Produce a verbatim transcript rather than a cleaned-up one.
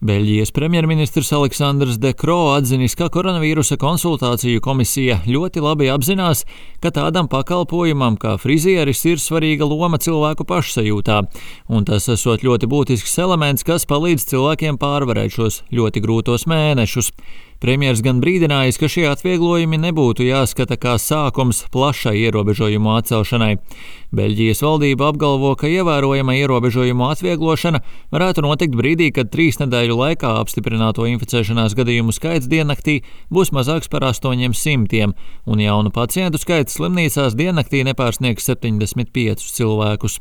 Beļģijas premjerministrs Aleksandrs De Croo atzinis, ka koronavīrusa konsultāciju komisija ļoti labi apzinās, ka tādam pakalpojumam kā frizieris ir svarīga loma cilvēku pašsajūtā, un tas esot ļoti būtisks elements, kas palīdz cilvēkiem pārvarēt šos ļoti grūtos mēnešus. Premjers gan brīdinājis, ka šie atvieglojumi nebūtu jāskata kā sākums plašai ierobežojumu atcelšanai. Beļģijas valdība apgalvo, ka ievērojama ierobežojumu atvieglošana varētu notikt brīdī, kad trīs nedēļu laikā apstiprināto inficēšanās gadījumu skaits diennaktī būs mazāks par astoņiem simtiem, un jaunu pacientu skaits slimnīcās diennaktī nepārsniegs septiņdesmit piecus cilvēkus.